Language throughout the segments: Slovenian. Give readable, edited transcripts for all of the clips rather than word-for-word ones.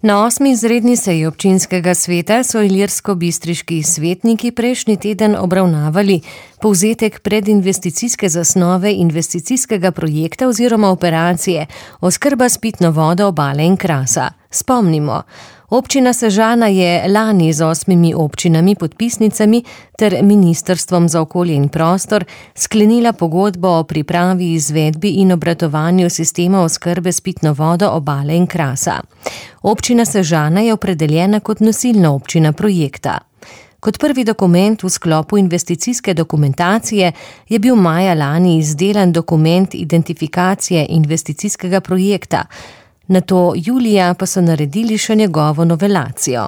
Na 8. izredni seji občinskega sveta so ilirsko-bistriški svetniki prejšnji teden obravnavali povzetek predinvesticijske zasnove investicijskega projekta oziroma operacije oskrba s pitno vodo Obale in Krasa. Spomnimo, občina Sežana je lani z 8 občinami podpisnicami ter Ministrstvom za okolje in prostor sklenila pogodbo o pripravi, izvedbi in obratovanju sistema oskrbe s pitno vodo Obale in Krasa. Občina Sežana je opredeljena kot nosilna občina projekta. Kot prvi dokument v sklopu investicijske dokumentacije je bil maja lani izdelan dokument identifikacije investicijskega projekta, nato julija pa so naredili še njegovo novelacijo.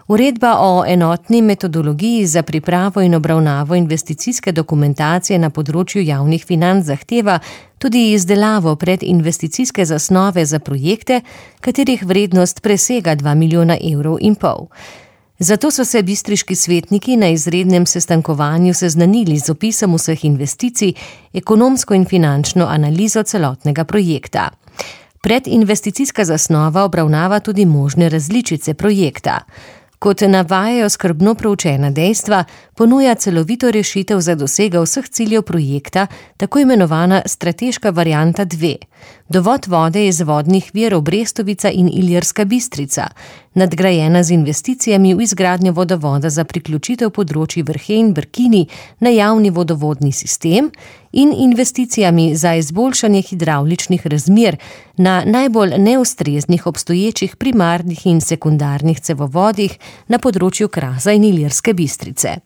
Uredba o enotni metodologiji za pripravo in obravnavo investicijske dokumentacije na področju javnih financ zahteva tudi izdelavo predinvesticijske zasnove za projekte, katerih vrednost presega 2,5 milijona evrov. Zato so se bistriški svetniki na izrednem sestankovanju seznanili z opisom vseh investicij, ekonomsko in finančno analizo celotnega projekta. Predinvesticijska zasnova obravnava tudi možne različice projekta. Kot navajajo skrbno proučena dejstva, ponuja celovito rešitev za dosego vseh ciljev projekta, tako imenovana strateška varianta 2. Dovod vode iz vodnih virov Brestovica in Ilirska Bistrica, nadgrajena z investicijami v izgradnjo vodovoda za priključitev področij Vrhe in Brkini na javni vodovodni sistem in investicijami za izboljšanje hidravličnih razmer na najbolj neustreznih obstoječih primarnih in sekundarnih cevovodih na področju Krasa in Ilirske Bistrice.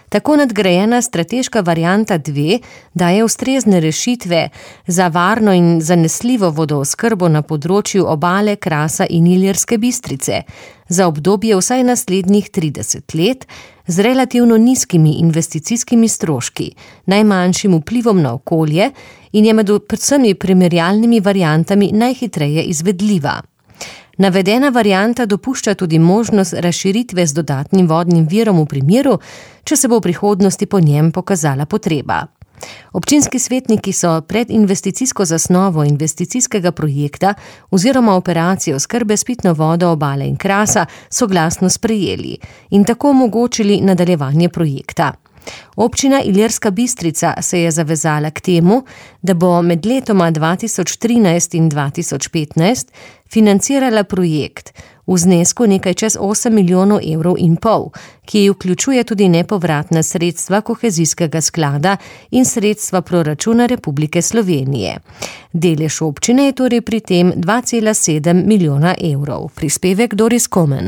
Tako nadgrajena strateška varianta 2 daje ustrezne rešitve za varno in zanesljivo vodooskrbo na področju Obale, Krasa in Ilirske Bistrice za obdobje vsaj naslednjih 30 let z relativno nizkimi investicijskimi stroški, najmanjšim vplivom na okolje in je med vsemi primerjalnimi variantami najhitreje izvedljiva. Navedena varianta dopušča tudi možnost razširitve z dodatnim vodnim virom v primeru, če se bo v prihodnosti po njem pokazala potreba. Občinski svetniki so predinvesticijsko zasnovo investicijskega projekta oziroma operacijo oskrbe s pitno vodo Obale in Krasa soglasno sprejeli in tako omogočili nadaljevanje projekta. Občina Ilirska Bistrica se je zavezala k temu, da bo med letoma 2013 in 2015 financirala projekt v znesku nekaj čez 8,5 milijonov evrov, ki vključuje tudi nepovratna sredstva kohezijskega sklada in sredstva proračuna Republike Slovenije. Delež občine je torej pri tem 2,7 milijona evrov. Prispevek Doris Komen.